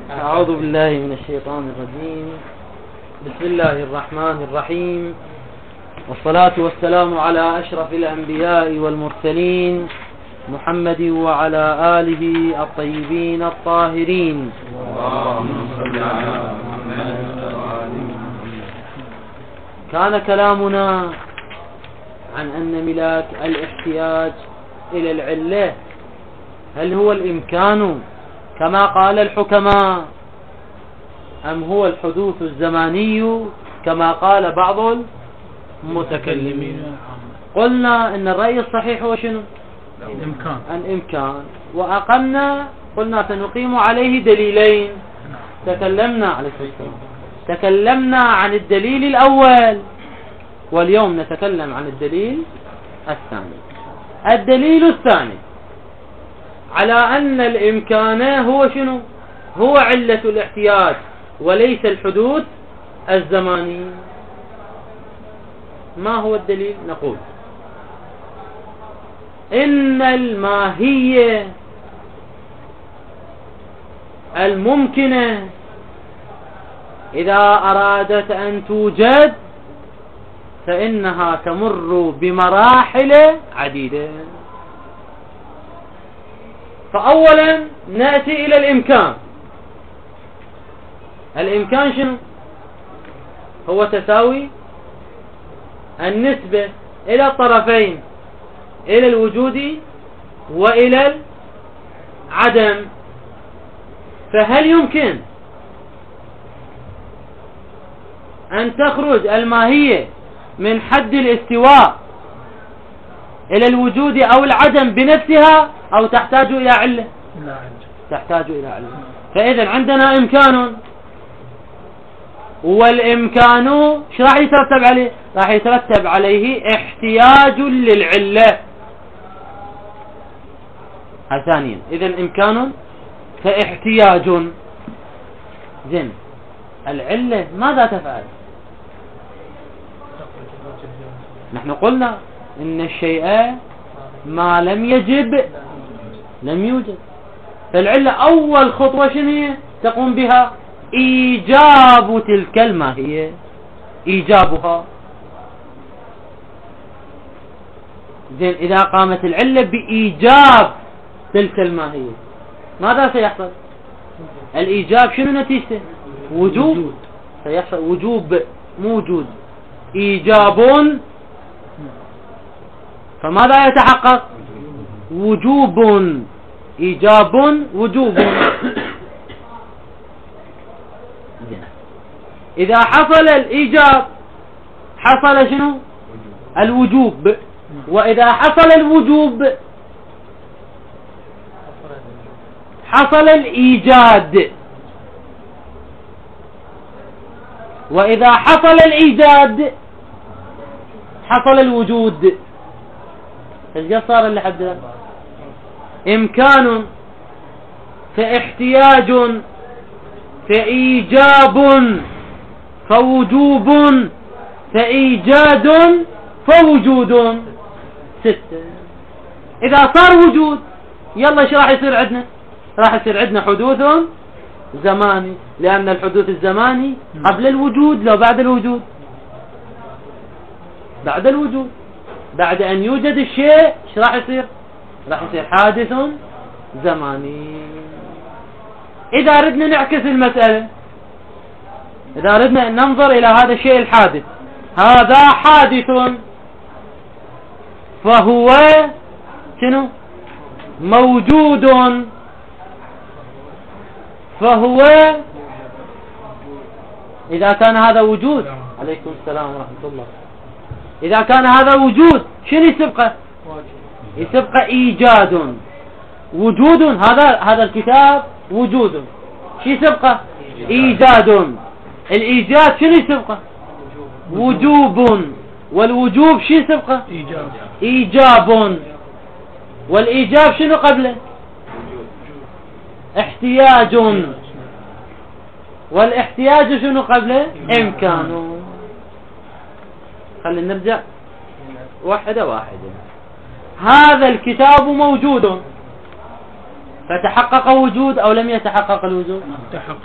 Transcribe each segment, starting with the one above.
أعوذ بالله من الشيطان الرجيم. بسم الله الرحمن الرحيم، والصلاة والسلام على أشرف الأنبياء والمرسلين محمد وعلى آله الطيبين الطاهرين. كان كلامنا عن أن ملاك الاحتياج إلى العلة هل هو الإمكان كما قال الحكماء، أم هو الحدوث الزماني كما قال بعض المتكلمين؟ قلنا إن الرأي الصحيح هو شنو؟ الإمكان. وأقمنا قلنا سنقيم عليه دليلين. تكلمنا عن الدليل الأول، واليوم نتكلم عن الدليل الثاني. الدليل الثاني على أن الإمكان هو شنو؟ هو علة الاحتياج وليس الحدوث الزماني. ما هو الدليل؟ نقول إن الماهية الممكنة إذا أرادت أن توجد فإنها تمر بمراحل عديدة. فأولا نأتي إلى الإمكان. الإمكان شنو؟ هو تساوي النسبة إلى الطرفين، إلى الوجود وإلى العدم. فهل يمكن أن تخرج الماهية من حد الاستواء إلى الوجود أو العدم بنفسها، أو تحتاج إلى علة؟ تحتاج إلى علة. فإذا عندنا إمكان، والإمكان شو راح يترتب عليه؟ راح يترتب عليه احتياج للعلة. ثانيا إذا إمكان فاحتياج. زين، العلة ماذا تفعل؟ نحن قلنا إن الشيء ما لم يجب لم يوجد. فالعلة أول خطوة شنو هي تقوم بها؟ إيجاب تلك الماهية، إيجابها. زين، إذا قامت العلة بإيجاب تلك الماهية ماذا سيحصل؟ الإيجاب شنو نتيجته؟ وجود. سيحصل وجوب، موجود، إيجاب. فماذا يتحقق؟ وجوب، إيجاب، وجوب. إذا حصل الإيجاب حصل شنو؟ الوجوب. وإذا حصل الوجوب حصل الإيجاد. وإذا حصل الإيجاد حصل الوجود. ايش صار اللي حد الآن؟ إمكان فاحتياج فإيجاب فوجوب فإيجاد فوجود. 6. إذا صار وجود يلا ايش راح يصير عندنا؟ راح يصير عندنا حدوث زماني، لأن الحدوث الزماني قبل الوجود لو بعد الوجود؟ بعد الوجود. بعد أن يوجد الشيء ايش راح يصير؟ راح يصير حادث زماني. إذا ردنا نعكس المسألة، إذا ردنا ننظر إلى هذا الشيء الحادث، هذا حادث فهو شنو؟ موجود. فهو إذا كان هذا وجود، عليكم السلام ورحمة الله، إذا كان هذا وجود شنو يسبقه؟ يسبقه إيجاد. وجود، هذا الكتاب وجود، شو يسبقه؟ إيجاد. الإيجاد شنو يسبقه؟ وجوب. والوجوب شو يسبقه؟ إيجاب. والإيجاب شنو قبله؟ احتياج. والاحتياج شنو قبله؟ إمكان. خلينا نرجع واحدة واحدة. هذا الكتاب موجود، فتحقق وجود أو لم يتحقق الوجود؟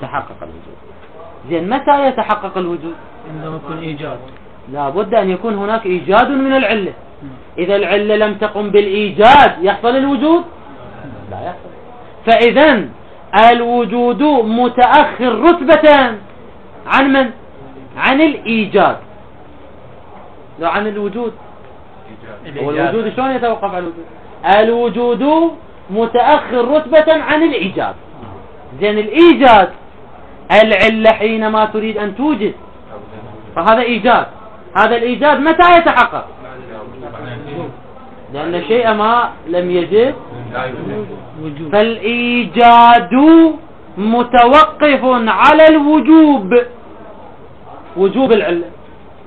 تحقق الوجود. زين متى يتحقق الوجود؟ عندما يكون إيجاد. لا بد أن يكون هناك إيجاد من العلة. إذا العلة لم تقم بالإيجاد يحصل الوجود؟ لا يحصل. فإذا الوجود متأخر رتبة عن من؟ عن الإيجاد، لا عن الوجود. والوجود شلون يتوقف على الوجود؟ الوجود متأخر رتبة عن الإيجاد. زين الإيجاد العلة حينما تريد أن توجد، فهذا إيجاد. هذا الإيجاد متى يتحقق؟ لأن الشيء ما لم يجد وجود. فالإيجاد متوقف على الوجوب، وجوب العلة،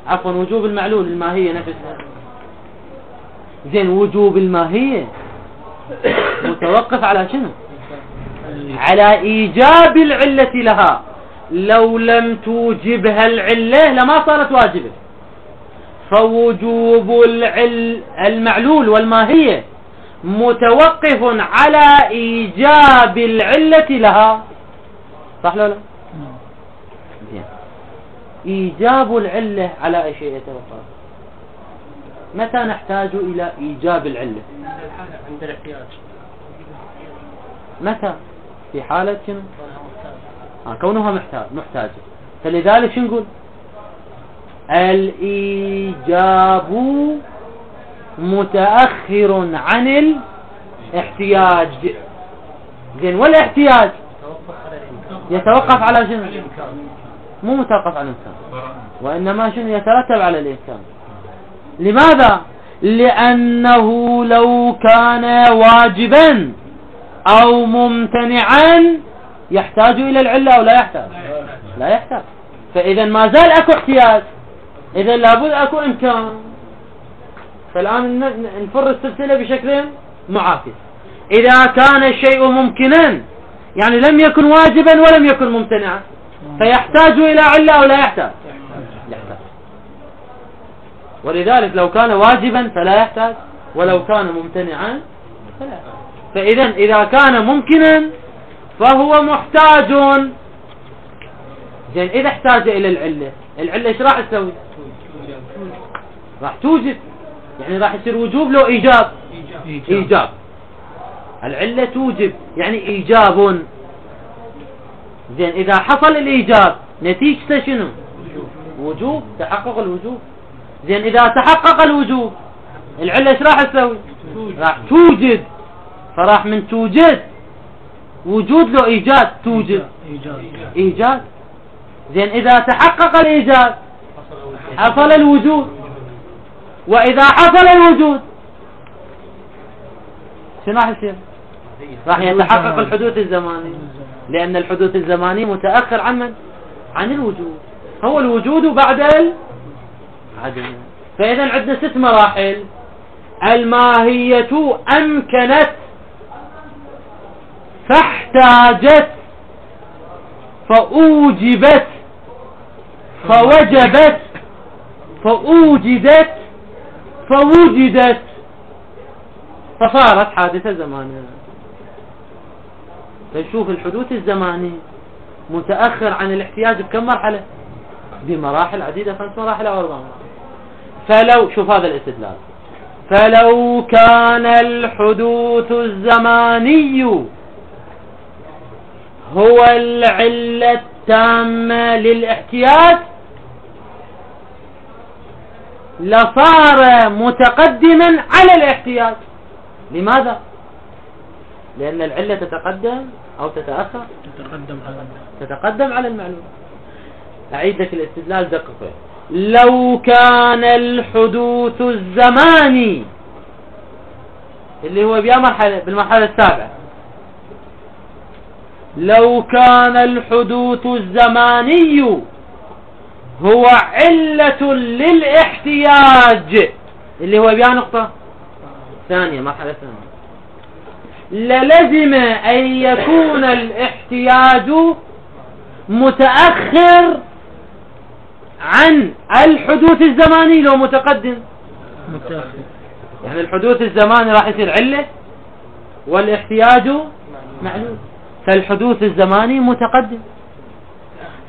عفوا وجوب المعلول الماهية نفسها. زين وجوب الماهية متوقف على شنو؟ على إيجاب العلة لها. لو لم توجبها العلة لما صارت واجبة. فوجوب المعلول والماهية متوقف على إيجاب العلة لها، صح ولا لا؟ إيجاب العلة على أي شيء يتوقف؟ متى نحتاج إلى إيجاب العلة؟ عند الاحتياج. متى؟ في حالة شنو؟ كونها محتاجة. فلذلك شو نقول؟ الإيجاب متأخر عن الاحتياج. زين والاحتياج يتوقف على شنو؟ مو متوقف على الإمكان، وإنما شنو يترتب على الإمكان. لماذا؟ لأنه لو كان واجبا أو ممتنعا يحتاج إلى العلة أو لا يحتاج؟ لا يحتاج. فإذا ما زال أكو احتياج، إذا لابد أكو إمكان. فالآن نفر السلسلة بشكل معاكس. إذا كان الشيء ممكنا يعني لم يكن واجبا ولم يكن ممتنعا، فيحتاج إلى علة أو لا يحتاج؟ يحتاج. ولذلك لو كان واجبا فلا يحتاج، ولو كان ممتنعا فلا يحتاج. فإذا إذا كان ممكنا فهو محتاج. زين إذا احتاج إلى العلة، العلة إيش راح تسوي؟ راح توجد، يعني راح يصير وجوب لو إيجاب. إيجاب. العلة توجب يعني إيجاب. زين إذا حصل الإيجاب نتيجته شنو؟ وجوب، تحقق الوجوب. زين إذا تحقق الوجوب العلة إيش راح تسوي؟ راح توجد. فراح من توجد وجود له إيجاد، توجد إيجاد. زين إذا تحقق الإيجاد حصل الوجود. وإذا حصل الوجود شنو راح يصير؟ راح يتحقق الحدوث الزماني، لأن الحدوث الزماني متأخر عن من؟ عن الوجود. هو الوجود بعد العدم. فإذا عندنا 6 مراحل. الماهية أمكنت فاحتاجت فأوجبت فوجبت فأوجدت فوجدت فصارت حادثة زمانية. فنشوف الحدوث الزماني متأخر عن الاحتياج بكم مرحلة؟ بمراحل عديدة، 5 مراحل أو 4 مراحل. فلو شوف هذا الاستدلال، فلو كان الحدوث الزماني هو العلة التامة للاحتياج لصار متقدما على الاحتياج. لماذا؟ لأن العلة تتقدم أو تتأخر؟ تتقدم على المعلوم. أعيد لك الاستدلال دقيقة. لو كان الحدوث الزماني اللي هو بالمرحلة السابعة، لو كان الحدوث الزماني هو علة للاحتياج اللي هو بيا نقطة ثانية، مرحلة ثانية، للزم أن يكون الاحتياج متأخر عن الحدوث الزماني لو متقدم. يعني الحدوث الزماني راح يصير علة والاحتياج معلول، فالحدوث الزماني متقدم.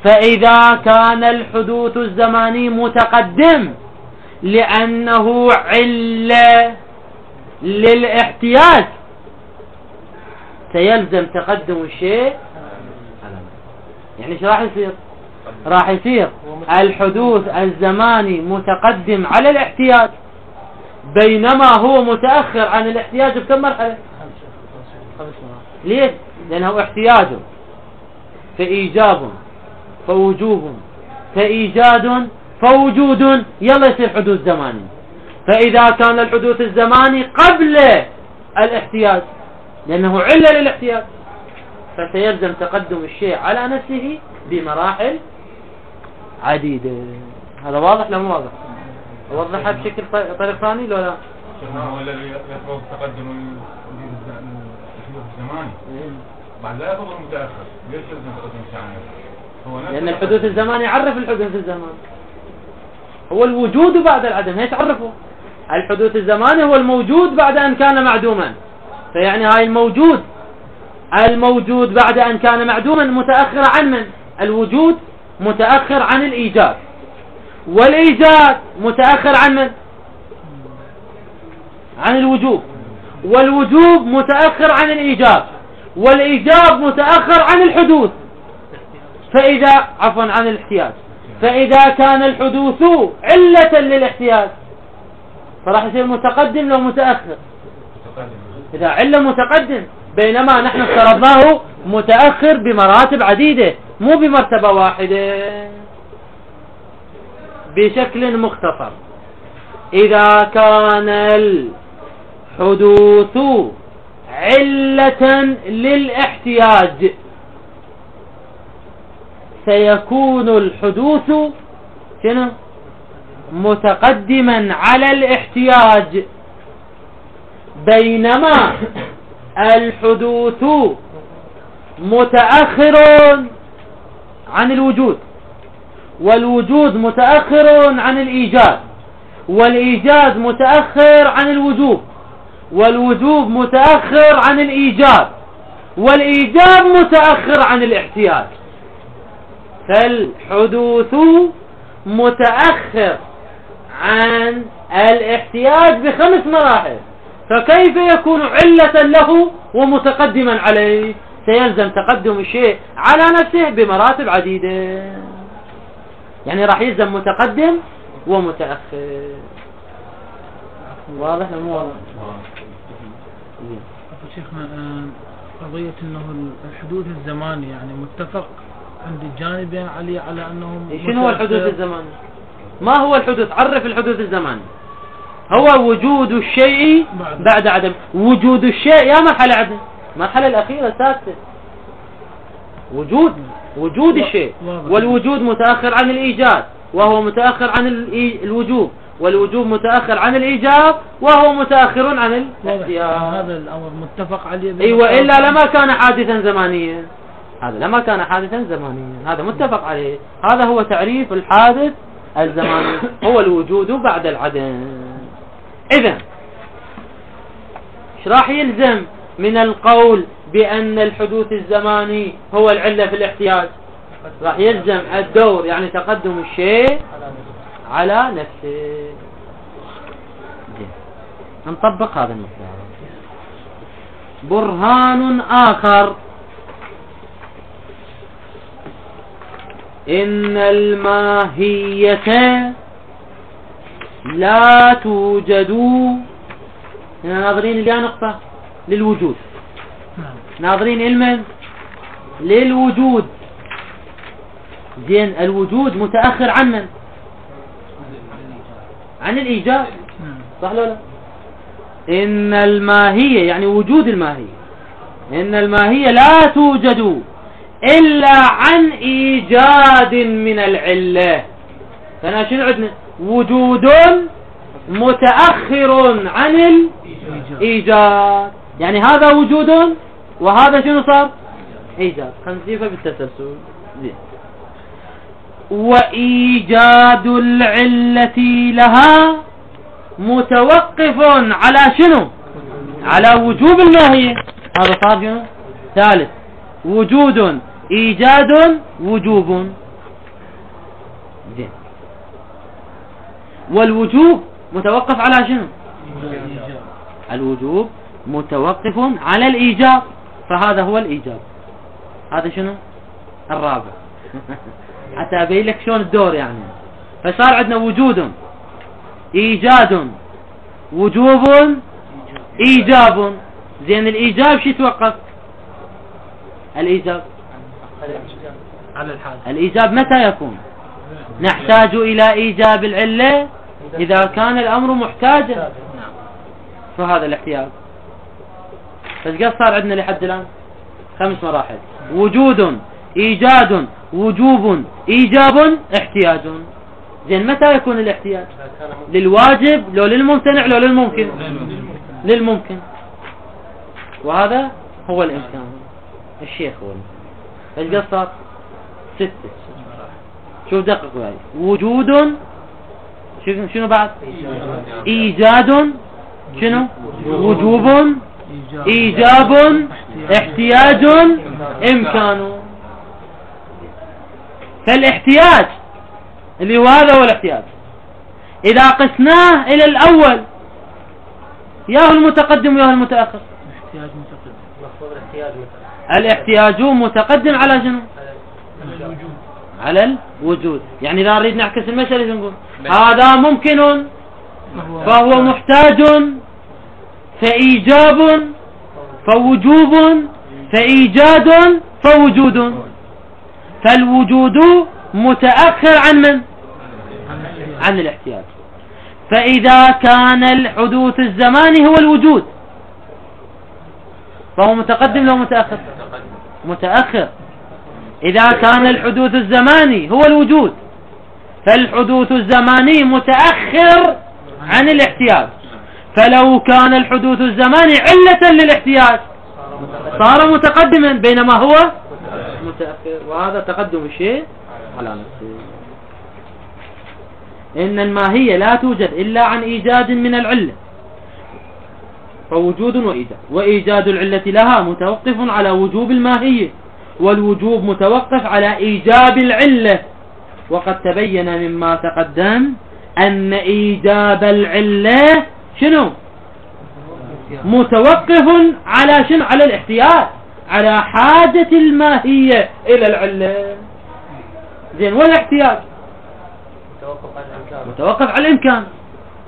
فإذا كان الحدوث الزماني متقدم لأنه علة للاحتياج سيلزم تقدم الشيء. يعني ايش راح يصير؟ راح يصير الحدوث الزماني متقدم على الاحتياج بينما هو متأخر عن الاحتياج بكم مرحلة؟ 5 مراحل. ليش؟ لأنه احتياج فإيجاب فوجوب فإيجاد فوجود، يلا يصير حدوث زماني. فإذا كان الحدوث الزماني قبل الاحتياج لأنه علة للاحتياج فسيلزم تقدم الشيء على نفسه بمراحل عديدة. هذا واضح لا مو واضح؟ أوضحها بشكل طريق ثاني لو لا؟ هو الذي يطلب تقدم الحدوث الزماني بعد لا يطلب المتأخر. ليش يلزم تقدم الشيء على نفسه؟ لأن الحدوث الزماني يعرف الحدوث الزماني هو الوجود بعد العدم. هي تعرفه الحدوث الزماني هو الموجود بعد أن كان معدوما. فيعني هاي الموجود بعد أن كان معدوما متأخر عن من؟ الوجود متأخر عن الإيجاد، والإيجاد متأخر عن من؟ عن الوجوب، والوجوب متأخر عن الإيجاب، والإيجاب متأخر عن الحدوث. فإذا عن الاحتياج. فإذا كان الحدوث علة للاحتياج فراح يصير متقدم لو متأخر. إذا علة متقدم، بينما نحن افترضناه متأخر بمراتب عديدة مو بمرتبة واحدة. بشكل مختصر، إذا كان الحدوث علة للاحتياج سيكون الحدوث شنو؟ متقدما على الاحتياج، بينما الحدوث متأخر عن الوجود، والوجود متأخر عن الإيجاد، والإيجاد متأخر عن الوجوب، والوجوب متأخر عن الإيجاب، والإيجاب متأخر عن الاحتياج. فالحدوث متأخر عن الاحتياج ب5 مراحل، فكيف يكون علة له ومتقدما عليه؟ سيلزم تقدم الشيء على نفسه بمراتب عديدة. يعني راح يلزم متقدم ومتأخر. واضح ولا مو واضح؟ شيخنا قضية انه الحدوث الزماني يعني متفق عند الجانبين على انهم شنو هو الحدوث الزماني؟ ما هو الحدوث؟ عرف الحدوث الزماني. هو وجود الشيء بعد عدم. وجود الشيء يا مرحلة عدم، المرحلة الأخيرة السادسة وجود الشيء، والوجود متأخر عن الإيجاد وهو متأخر عن الوجوب، والوجوب متأخر عن الإيجاب وهو متأخر عن الاحتياج. هذا الأمر متفق عليه. أيوة، إلا لما كان حادثا زمانيا. هذا لما كان حادثا زمانيا هذا متفق عليه. هذا هو تعريف الحادث الزماني، هو الوجود بعد العدم. إذن ايش راح يلزم من القول بأن الحدوث الزماني هو العلة في الاحتياج؟ راح يلزم الدور، يعني تقدم الشيء على نفسه. نطبق هذا المثال. برهان آخر: إن الماهية لا توجد. هنا ناظرين إلى نقطة للوجود، ناظرين علما للوجود. زين، الوجود متأخر عن من؟ عن الإيجاب، صح ولا لا؟ إن الماهية يعني وجود الماهية، إن الماهية لا توجد إلا عن إيجاد من العلة. فأنا شنو عندنا؟ وجود متأخر عن الإيجاد، يعني هذا وجود وهذا شنو صار؟ إيجاد. خنسيفة بالتسلسل. زين. وإيجاد العلة لها متوقف على شنو؟ على وجوب الماهية. هذا صار شنو؟ ثالث وجود إيجاد وجوب. زين. والوجوب متوقف على شنو؟ الوجوب متوقف على الإيجاب، فهذا هو الإيجاب. هذا شنو؟ الرابع. حتى أبين لك شلون الدور يعني. فصار عندنا وجود إيجاد وجوب إيجاب. زين الإيجاب شو يتوقف؟ الإيجاب على الحاجة. الإيجاب متى يكون؟ نحتاج إلى إيجاب العلة إذا كان الأمر محتاجا، فهذا الاحتياج. فايش صار عندنا لحد الآن؟ 5 مراحل: وجود إيجاد وجوب إيجاب احتياج. زين متى يكون الاحتياج؟ للواجب لو للممتنع لو للممكن؟ للممكن. وهذا هو الإمكان. الشيخ هو ايش صار؟ 6. شوف دقق معي. وجود شنو بعد؟ إيجاد شنو؟ وجوب إيجاب احتياج إمكان. فالاحتياج اللي هو هذا هو الاحتياج. إذا قسناه إلى الأول ياهو المتقدم وياهو المتأخر. احتياج متقدم. الاحتياج متقدم على شنو؟ على الوجود. يعني إذا نريد نعكس المسألة نقول هذا ممكن فهو محتاج فإيجاب فوجوب فإيجاد فوجود. فالوجود متأخر عن من؟ عن الاحتياج. فإذا كان الحدوث الزماني هو الوجود فهو متقدم لو متأخر؟ متأخر. إذا كان الحدوث الزماني هو الوجود فالحدوث الزماني متأخر عن الاحتياج. فلو كان الحدوث الزماني علة للاحتياج صار متقدما بينما هو متأخر. وهذا تقدم الشيء على نفسه. إن الماهية لا توجد إلا عن إيجاد من العلة فوجود وإيجاد. وإيجاد العلة لها متوقف على وجوب الماهية والوجوب متوقف على إيجاب العلة. وقد تبين مما تقدم أن إيجاب العلة شنو؟ متوقف على شنو؟ على الاحتياج، على حاجة الماهية إلى العلة. زين. والاحتياج متوقف على الإمكان.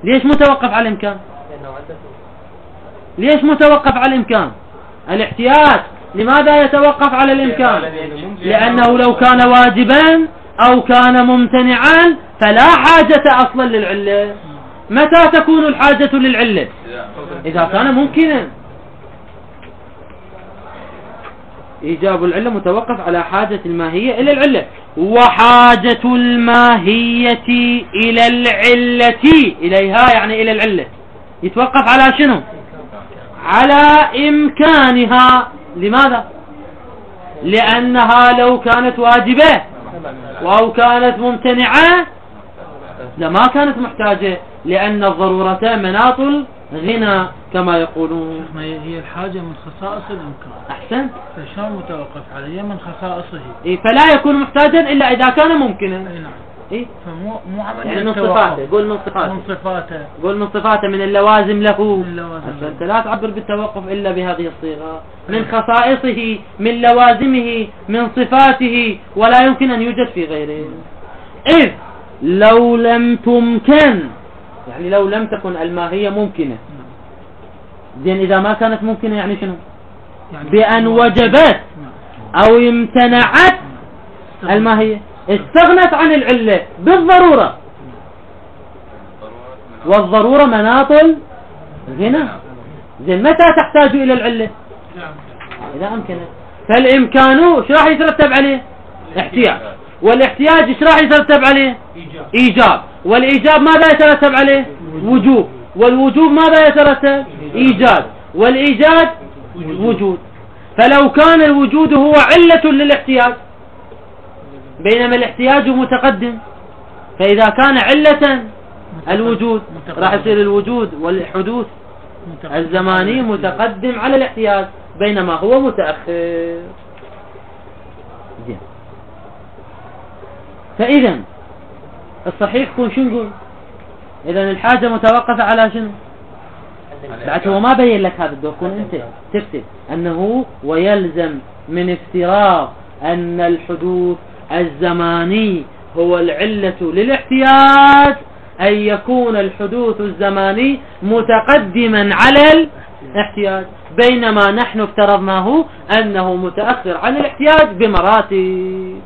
ليش متوقف على الإمكان؟ ليش متوقف على الإمكان؟ الاحتياج لماذا يتوقف على الإمكان؟ لأنه لو كان واجبا أو كان ممتنعا فلا حاجة أصلا للعلة. متى تكون الحاجة للعلة؟ إذا كان ممكنا. إيجاب العلة متوقف على حاجة الماهية إلى العلة. وحاجة الماهية إلى العلة إليها يعني إلى العلة يتوقف على شنو؟ على إمكانها. لماذا؟ لأنها لو كانت واجبة أو كانت ممتنعة لما كانت محتاجة، لأن الضرورة مناط الغنى كما يقولون. هي الحاجة من خصائص الإمكان. أحسنت. فشان متوقف عليه من خصائصه. فلا يكون محتاجا إلا إذا كان ممكنا. نعم. فمو عملية يعني من صفاته. قول من صفاته. من صفاته. قول من صفاته من اللوازم له. من اللوازم. أنت لا تعبر بالتوقف إلا بهذه الصيغة. من خصائصه من لوازمه من صفاته ولا يمكن أن يوجد في غيره. إذ لو لم تمكن يعني لو لم تكن الماهية ممكنة. زين. إذا ما كانت ممكنة يعني شنو؟ يعني بأن وجبت أو امتنعت الماهية استغنت عن العلة بالضرورة. والضرورة مناط الغنى. زين. متى تحتاج إلى العلة؟ إذا أمكنت. فالإمكان شو راح يترتب عليه؟ احتياج. والاحتياج ايش راح يترتب عليه؟ إيجاب. والإيجاب ماذا يترتب عليه؟ وجوب. والوجوب ماذا يترتب؟ إيجاد. والإيجاد وجود. فلو كان الوجود هو علة للاحتياج بينما الاحتياج متقدم، فإذا كان علة الوجود راح يصير الوجود والحدوث الزماني متقدم على الاحتياج بينما هو متأخر. زين. فإذا الصحيح يكون شو نقول؟ إذا الحاجة متوقفة على شنو؟ بعد هو ما بين لك هذا الدور، كون أنت تكتب أنه ويلزم من افتراض أن الحدوث الزماني هو العلة للاحتياج أن يكون الحدوث الزماني متقدما على الاحتياج، بينما نحن افترضناه أنه متأخر عن الاحتياج بمراتب.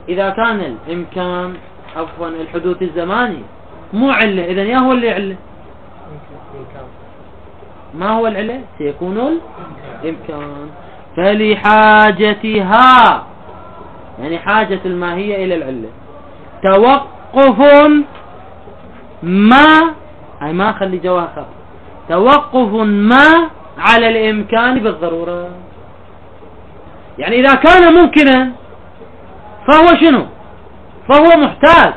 إذا كان الإمكان عفوا الحدوث الزماني مو علة، إذن يا هو اللي علة؟ ما هو العلة؟ سيكون الإمكان. فلحاجتها يعني حاجة الماهية إلى العلة توقف ما، هاي ما خلي جواها خط، توقف ما على الإمكان بالضرورة. يعني إذا كان ممكنا فهو شنو؟ فهو محتاج،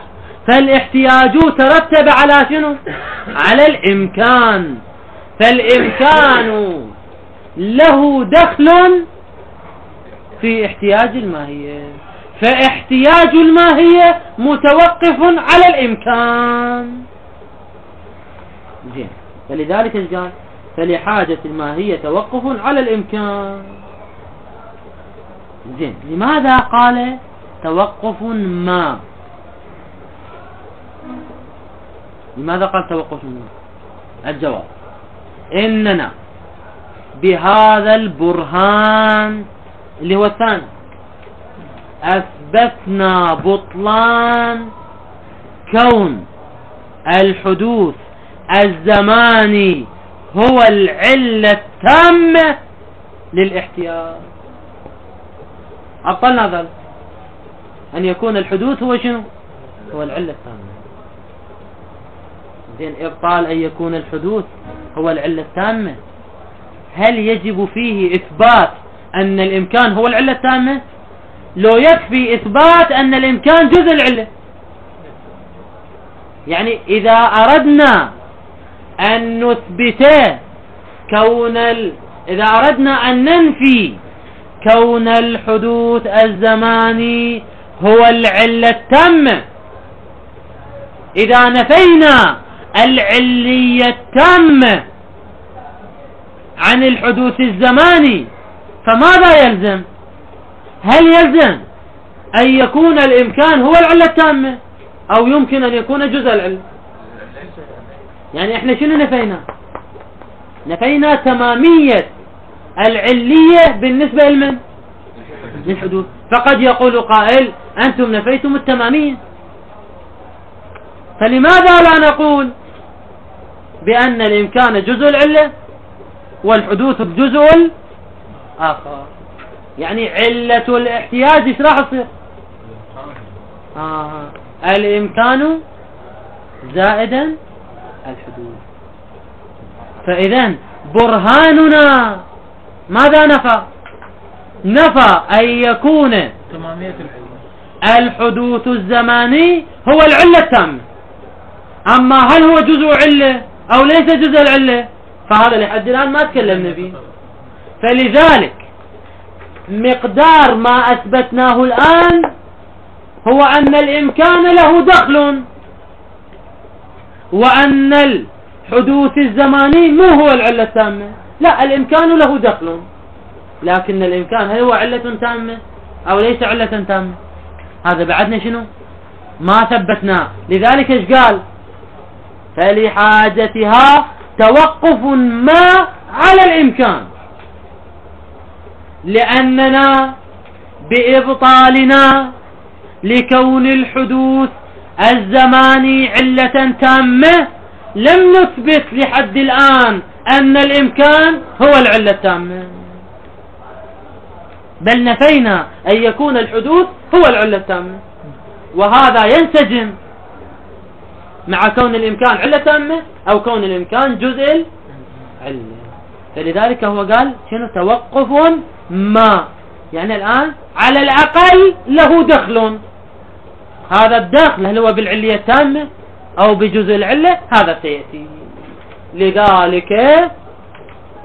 فالاحتياج ترتب على شنو؟ على الإمكان، فالإمكان له دخل في احتياج الماهية، فاحتياج الماهية متوقف على الإمكان. زين. فلذلك قال فلحاجة الماهية توقف على الإمكان. زين. لماذا قال توقف ما؟ لماذا قال توقف ما؟ الجواب إننا بهذا البرهان اللي هو الثاني أثبتنا بطلان كون الحدوث الزماني هو العلة التامة للاحتياج. أبطلنا ذلك أن يكون الحدوث هو شنو؟ هو العلة التامة. زين. إبطال أن يكون الحدوث هو العلة التامة، هل يجب فيه إثبات أن الإمكان هو العلة التامة؟ لو يكفي إثبات أن الإمكان جزء العلة. يعني إذا أردنا أن نثبت إذا أردنا أن ننفي كون الحدوث الزماني هو العلة التامة، إذا نفينا العلية التامة عن الحدوث الزماني فماذا يلزم؟ هل يلزم أن يكون الإمكان هو العلة التامة أو يمكن أن يكون جزء العلة؟ يعني احنا شنو نفينا؟ نفينا تمامية العلية بالنسبة لمن؟ للحدوث. فقد يقول قائل أنتم نفيتم التمامية، فلماذا لا نقول بأن الإمكان جزء العلة والحدوث جزء آخر؟ يعني علة الاحتياج ايش راح تصير؟ الإمكان زائدا الحدوث. فإذا برهاننا ماذا نفى؟ نفى أن يكون تمامية الحدوث الزماني هو العلة التامة. أما هل هو جزء علة أو ليس جزء العلة فهذا لحد الآن ما تكلمنا فيه. فلذلك مقدار ما أثبتناه الآن هو أن الإمكان له دخل، وأن الحدوث الزماني مو هو العلة التامة. لا، الإمكان له دخل، لكن الإمكان هل هو علة تامة أو ليس علة تامة؟ هذا بعدنا شنو؟ ما ثبتناه. لذلك ايش قال؟ فلحاجتها توقف ما على الإمكان، لأننا بإبطالنا لكون الحدوث الزماني علة تامة لم نثبت لحد الآن أن الإمكان هو العلة التامة، بل نفينا أن يكون الحدوث هو العلة التامة، وهذا ينسجم مع كون الإمكان علة تامة أو كون الإمكان جزء العلة. فلذلك هو قال شنو؟ توقف ما، يعني الآن على الأقل له دخل. هذا الدخل هل هو بالعلية التامة أو بجزء العلة؟ هذا سيأتي. لذلك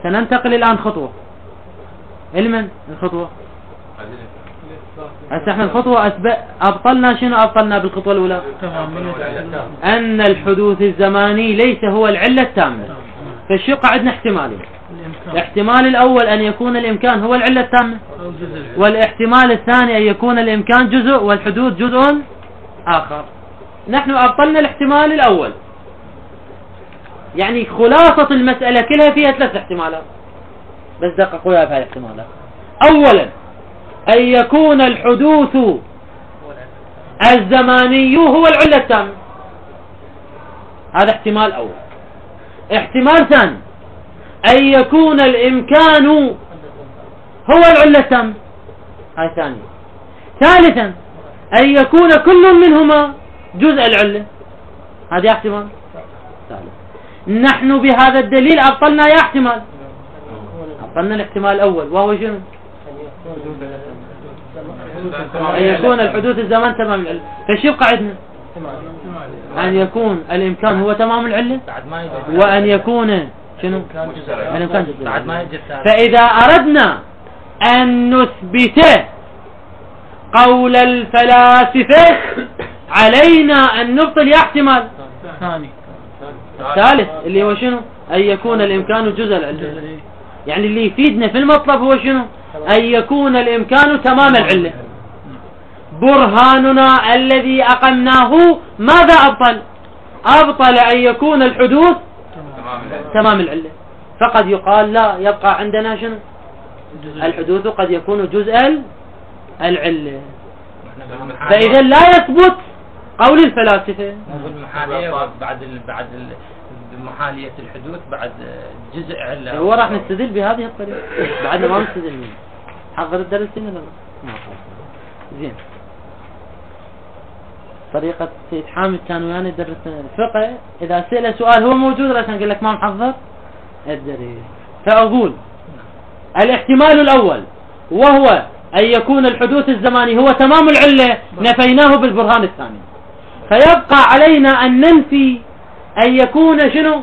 سننتقل الآن خطوة. علما الخطوة هسه احنا الخطوة أبطلنا شنو؟ أبطلنا بالخطوة الأولى أن الحدوث الزماني ليس هو العلة التامة. فالشيء عندنا احتمالين. الاحتمال الأول أن يكون الإمكان هو العلة التامة، والاحتمال الثاني أن يكون الإمكان جزء والحدوث جزء آخر. نحن أبطلنا الاحتمال الأول، يعني خلاصة المسألة كلها فيها 3 احتمالات، بس دققوا يا بهاي الاحتمالات. أولا أن يكون الحدوث الزماني هو العلة التامة، هذا احتمال أول. احتمال ثاني أن يكون الإمكان هو العلة التامة، هاي ثانية. ثالثا أن يكون كل منهما جزء العلة، هذا احتمال ثالث. نحن بهذا الدليل أبطلنا يا احتمال، أبطلنا الاحتمال الأول وهو شنو؟ أن يكون الحدوث الزمان تمام العلة. فشو قاعدنا؟ أن يكون الإمكان هو تمام العلة، وأن يكون شنو؟ الإمكان جزء. فإذا أردنا أن نثبت قول الفلاسفة علينا أن نبطل احتمال الثالث اللي هو شنو؟ أن يكون الإمكان جزء العلة. يعني اللي يفيدنا في المطلب هو شنو؟ أن يكون الإمكان تمام العلة. برهاننا الذي أقمناه ماذا أبطل؟ أبطل أن يكون الحدوث تمام العلة. فقد يقال لا، يبقى عندنا شنو؟ الحدوث قد يكون جزء العلة. فإذا لا يثبت قول الفلاسفة. بعد محالية الحدوث بعد جزء علة. هو راح نستدل بهذه الطريقة، بعدنا ما نستدل منه. حضر الدرس ولا لا؟ زين. طريقة سيد حامد كان ويانا يدرس الفقه، إذا سأل سؤال هو موجود عشان أقول لك ما محضر الدرس. فأقول الاحتمال الأول وهو أن يكون الحدوث الزماني هو تمام العلة، نفيناه بالبرهان الثاني. فيبقى علينا أن ننفي أن يكون شنو؟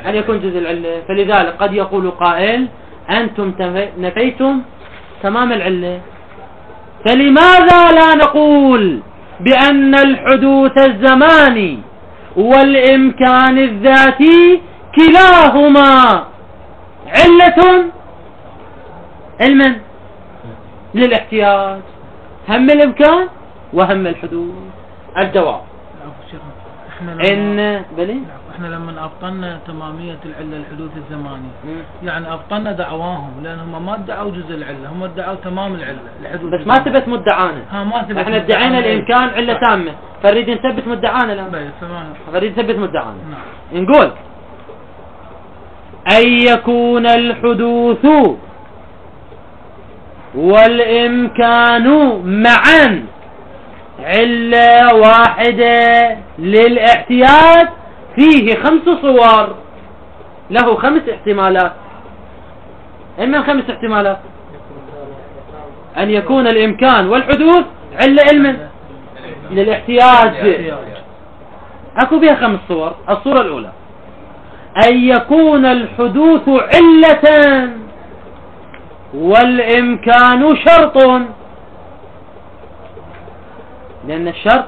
أن يكون جزء العلة. فلذلك قد يقول قائل أنتم نفيتم تمام العلة، فلماذا لا نقول بأن الحدوث الزماني والإمكان الذاتي كلاهما علة علما للاحتياج، هم الإمكان وهم الحدوث؟ الجواب احنا لما ابطلنا تمامية العلة الحدوث الزماني يعني ابطلنا دعواهم، لانهم ما ادعوا جزء العلة، هم ادعوا تمام العلة الحدوث. بس ما ثبت مدعانا. احنا ادعينا الامكان علة تامة، فنريد نثبت مدعانا الان. نريد نثبت مدعانا. نقول ان يكون الحدوث والامكان معا علة واحدة للاحتياج فيه 5 صور، له 5 احتمالات. إما 5 احتمالات: أن يكون الإمكان والحدوث علة علما للاحتياج، أكو بها 5 صور. الصورة الأولى أن يكون الحدوث علة والإمكان شرط، لأن الشرط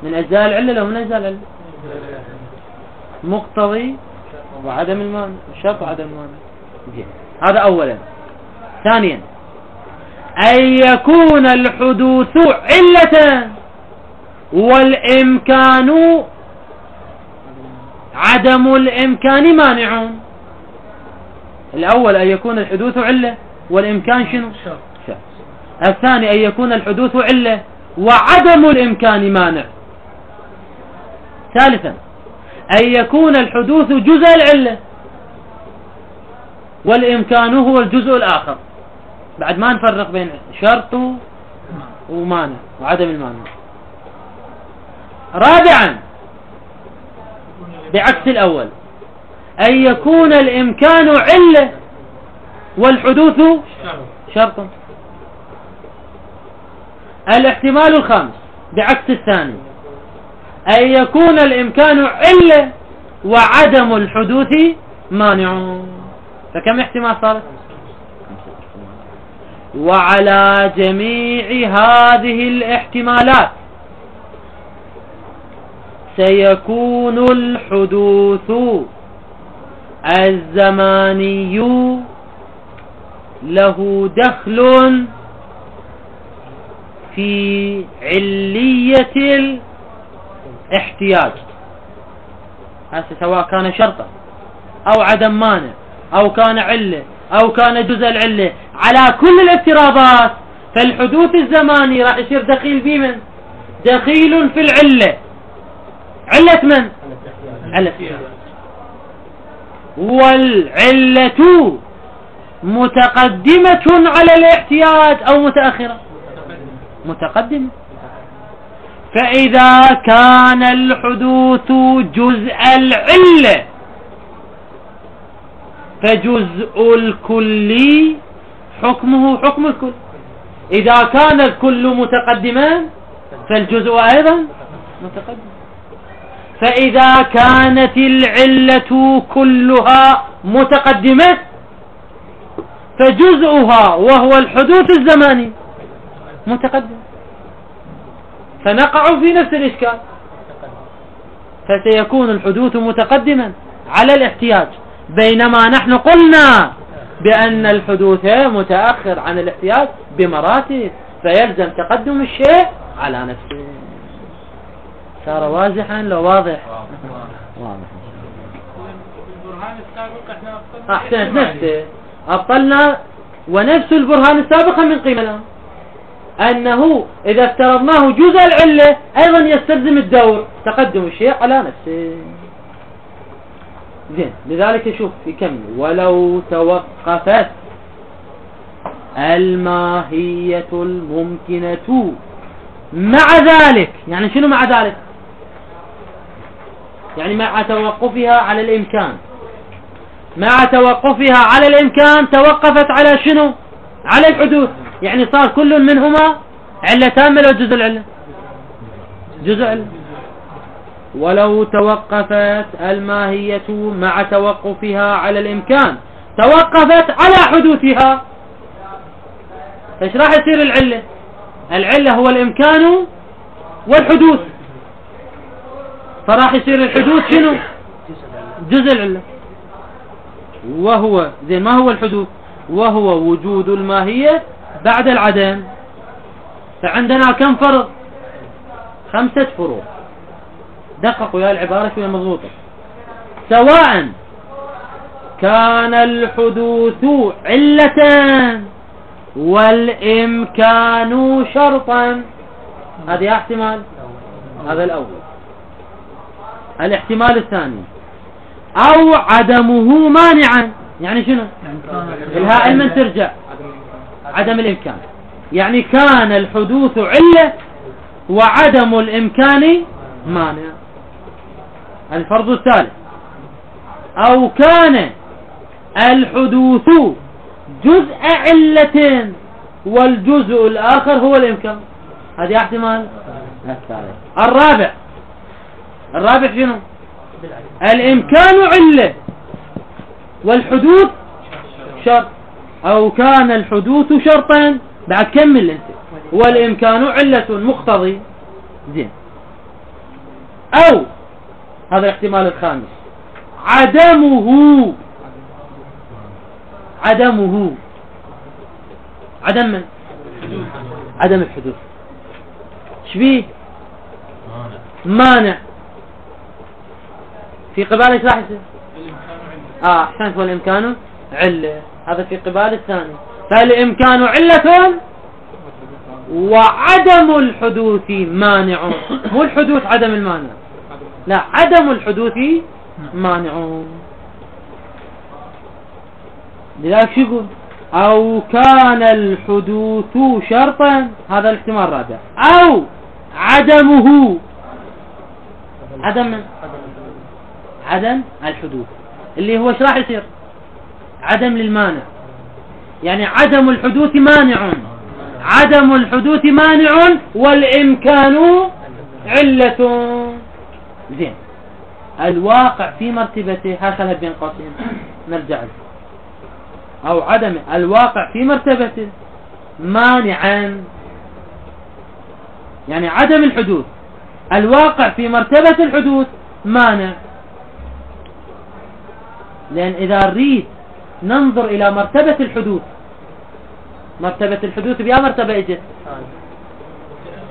من أجزاء العلة لو من أجزاء العلة، مقتضي وعدم المانع، الشرط وعدم المانع. هذا أولا. ثانيا أن يكون الحدوث علة والإمكان عدم الإمكان مانع. الأول أن يكون الحدوث علة والإمكان شنو؟ شرط. الثاني أن يكون الحدوث علة وعدم الإمكان مانع. ثالثا أن يكون الحدوث جزء العلة والإمكان هو الجزء الآخر. بعد ما نفرق بين شرط ومانع وعدم المانع. رابعا بعكس الأول أن يكون الإمكان علة والحدوث شرط. الاحتمال الخامس بعكس الثاني أن يكون الإمكان علة وعدم الحدوث مانع. فكم احتمال صارت؟ وعلى جميع هذه الاحتمالات سيكون الحدوث الزماني له دخل في علية الاحتياج، هذا سواء كان شرطا أو عدم مانع أو كان علة أو كان جزء العلة، على كل الافتراضات فالحدوث الزماني راح يصير دخيل في من؟ دخيل في العلة. علة من؟ علة. والعلة متقدمة على الاحتياج أو متأخرة؟ متقدمة. فإذا كان الحدوث جزء العلة فجزء الكل حكمه حكم الكل. إذا كان الكل متقدما فالجزء أيضا متقدم. فإذا كانت العلة كلها متقدمة فجزءها وهو الحدوث الزماني متقدم، فنقع في نفس الإشكال. فسيكون الحدوث متقدما على الاحتياج، بينما نحن قلنا بأن الحدوث متأخر عن الاحتياج بمراتب، فيلزم تقدم الشيء على نفسه. صار واضحا لو واضح؟ واضح. البرهان السابق احنا أبطلنا أحسنت نفسه أبطلنا، ونفس البرهان السابق من قيمة الآن أنه إذا افترضناه جزء العلة أيضا يستلزم الدور تقدم الشيء على نفسه. زين، لذلك شوف يكمل: ولو توقفت الماهية الممكنة مع ذلك. يعني شنو مع ذلك؟ يعني مع توقفها على الإمكان. مع توقفها على الإمكان توقفت على شنو؟ على الحدوث. يعني صار كل منهما علة تامة لو جزء العلة؟ جزء علة. ولو توقفت الماهية مع توقفها على الإمكان توقفت على حدوثها، ايش راح يصير العلة؟ العلة هو الإمكان والحدوث، فراح يصير الحدوث شنو؟ جزء العلة. وهو زين ما هو الحدوث؟ وهو وجود الماهية بعد العدم. فعندنا كم فرض؟ 5 فروض. دققوا يا العبارة شوية مضبوطة. سواء كان الحدوث علة والإمكان شرطا، هذا احتمال، هذا الأول. الاحتمال الثاني: أو عدمه مانعا. يعني شنو؟ الهاء من ترجع عدم الإمكان، يعني كان الحدوث علة وعدم الإمكان مانع. الفرض الثالث: أو كان الحدوث جزء علة والجزء الآخر هو الإمكان، هذه احتمال الثالث. الرابع شنو؟ الإمكان علة والحدوث شرط. أو كان الحدوث شرطا، بعد كمل انت، والإمكان علة مقتضي. زين. أو هذا الاحتمال الخامس: عدم من؟ عدم الحدوث. شبيه؟ مانع. في قبال ايش راح يصير؟ احسنت، والإمكان علة. هذا في قبال الثاني. فالإمكان علة وعدم الحدوث مانع. مو الحدوث عدم المانع، لا، عدم الحدوث مانع. لذلك شو يقول؟ أو كان الحدوث شرطا، هذا الاحتمال الرابع. أو عدمه، عدم الحدوث اللي هو ايش راح يصير؟ عدم للمانع. يعني عدم الحدوث مانع، عدم الحدوث مانع والإمكان علة. زين. الواقع في مرتبته، هكذا بين قوسين نرجع له، أو عدم الواقع في مرتبته مانعا، يعني عدم الحدوث الواقع في مرتبة الحدوث مانع. لأن إذا نريد ننظر إلى مرتبة الحدوث، مرتبة الحدوث بأي مرتبة اجت؟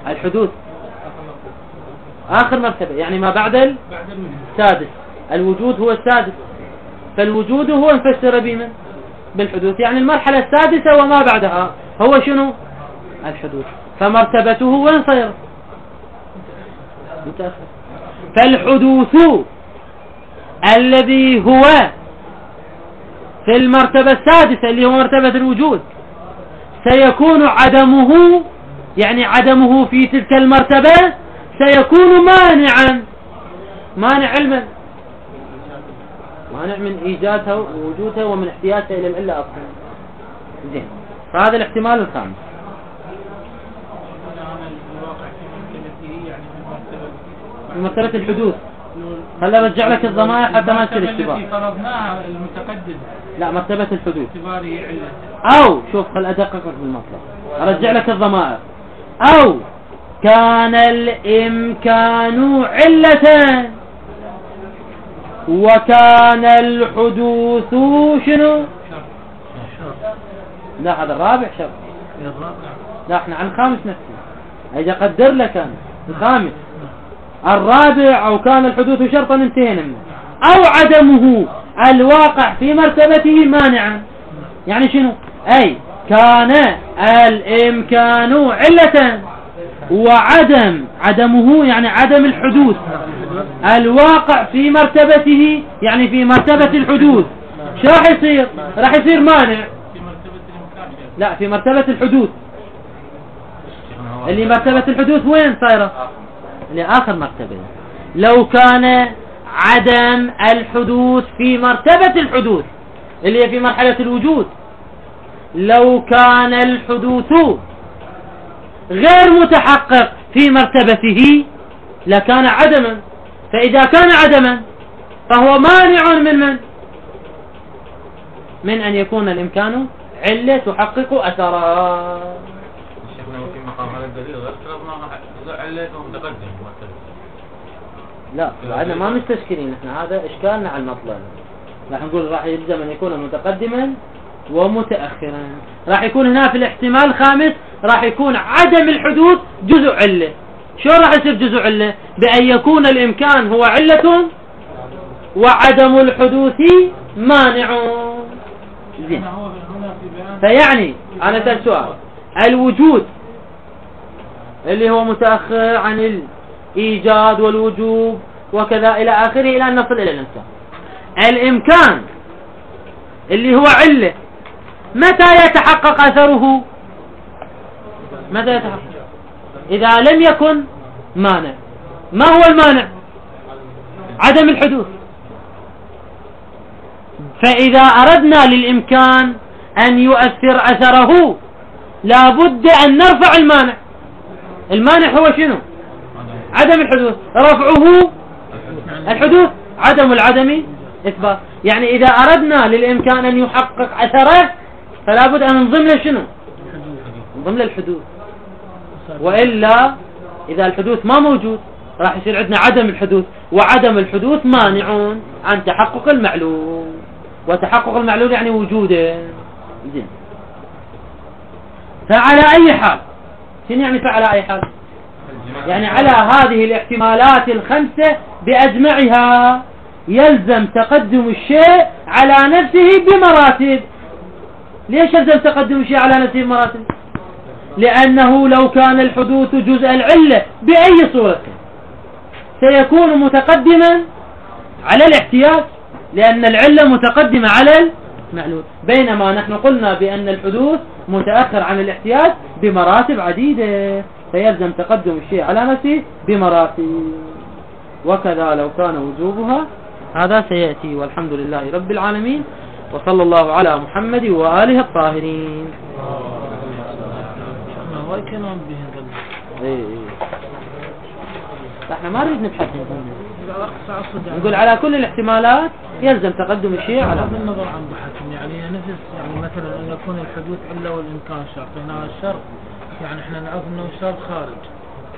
الحدوث آخر مرتبة، يعني ما بعد السادس. الوجود هو السادس، فالوجود هو نفسر به بالحدوث، يعني المرحلة السادسة وما بعدها هو شنو؟ الحدوث. فمرتبته وين صير؟ متأخر. فالحدوث الذي هو في المرتبة السادسة اللي هو مرتبة الوجود سيكون عدمه، يعني عدمه في تلك المرتبة سيكون مانعا. مانع علما، مانع من إيجادها ووجودها ومن احتياجها إلى العلة أصلا. زين، فهذا الاحتمال الخامس. في مرتبة الحدوث. هلا برجع لك الضمائر حتى ما تصير اشتباه. التي فرضناها المتقدم. لا، مرتبة الحدوث. اعتباره علة. أو شوف، خل أدققك بالمطلب، أرجع لك الضمائر. أو كان الإمكان علة وكان الحدوث شنو؟ لا، هذا الرابع شرط. لا، احنا عن الخامس نفسه. إذا قدر لك أنا الخامس الرابع أو كان الحدوث شرطا انتهينا منه. أو عدمه الواقع في مرتبته مانعا، يعني شنو؟ أي كان الإمكان علة عدمه يعني عدم الحدوث الواقع في مرتبته، يعني في مرتبة الحدوث. شو راح يصير؟ راح يصير مانع. لا، في مرتبة الحدوث. اللي مرتبة الحدوث وين صايرة؟ اللي آخر مرتبة. لو كان عدم الحدوث في مرتبة الحدوث اللي هي في مرحلة الوجود، لو كان الحدوث غير متحقق في مرتبته لكان عدما. فإذا كان عدما فهو مانع من أن يكون الإمكان علة تحقق أثرا. شيخنا في مقام هذا الدليل غير فرضنا علة متقدم. لا، بعدنا ما مستشكلين احنا، هذا إشكالنا على المطلب. راح نقول راح يلزم أن يكون متقدما ومتأخرا. راح يكون هنا في الاحتمال الخامس راح يكون عدم الحدوث جزء علة. شو راح يصير جزء علة؟ بأن يكون الإمكان هو علة وعدم الحدوث مانع. زين، فيعني أنا سأل سؤال، الوجود اللي هو متأخر عن الإيجاد والوجوب وكذا إلى آخره إلى أن نصل إلى الإنسان. الإمكان اللي هو علة متى يتحقق أثره؟ متى يتحقق؟ إذا لم يكن مانع. ما هو المانع؟ عدم الحدوث. فإذا أردنا للإمكان أن يؤثر أثره لابد أن نرفع المانع. المانع هو شنو؟ عدم الحدوث. رفعه الحدوث، عدم العدم إثبات. يعني إذا أردنا للإمكان أن يحقق أثره فلابد أن ننظم له شنو؟ ننظم له الحدوث. وإلا إذا الحدوث ما موجود راح يصير عندنا عدم الحدوث، وعدم الحدوث مانع عن تحقق المعلوم، وتحقق المعلوم يعني وجوده. زين، فعلى أي حال، شنو يعني فعلى أي حال؟ يعني على هذه الاحتمالات الخمسة بأجمعها يلزم تقدم الشيء على نفسه بمراتب. ليش يلزم تقدم الشيء على نفسه بمراتب؟ لأنه لو كان الحدوث جزء العلة بأي صورة سيكون متقدما على الاحتياج، لأن العلة متقدمة على المعلول، بينما نحن قلنا بأن الحدوث متأخر عن الاحتياج بمراتب عديدة، فيلزم تقدم الشيء على نفسه بمراتب. وكذا لو كان وجوبها. هذا سيأتي، والحمد لله رب العالمين، وصلى الله على محمد وآله الطاهرين. ما هو كلام به. احنا ما نريد نبحث نقول على كل الاحتمالات يلزم تقدم الشيء على بغض النظر عن بحثهم، يعني نفس يعني مثلا ان يكون الحدوث الا والامكان شرط. هنا الشرط يعني احنا نعرف انه الشرط خارج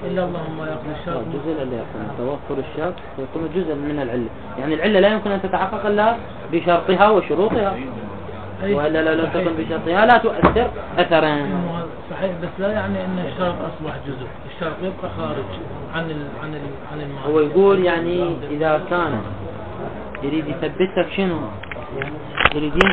الا اللهم يقضي الشرط. الجزء اللي يكون توفر الشرط يكون جزء من العله، يعني العله لا يمكن ان تتحقق الا بشرطها وشروطها، والا لو لم تكن بشرطها لا تؤثر اثرا. صحيح، بس لا يعني ان الشرط اصبح جزء، الشرط يبقى خارج عن المعنى. هو يقول يعني اذا كان يريد يثبت لك شنو يريد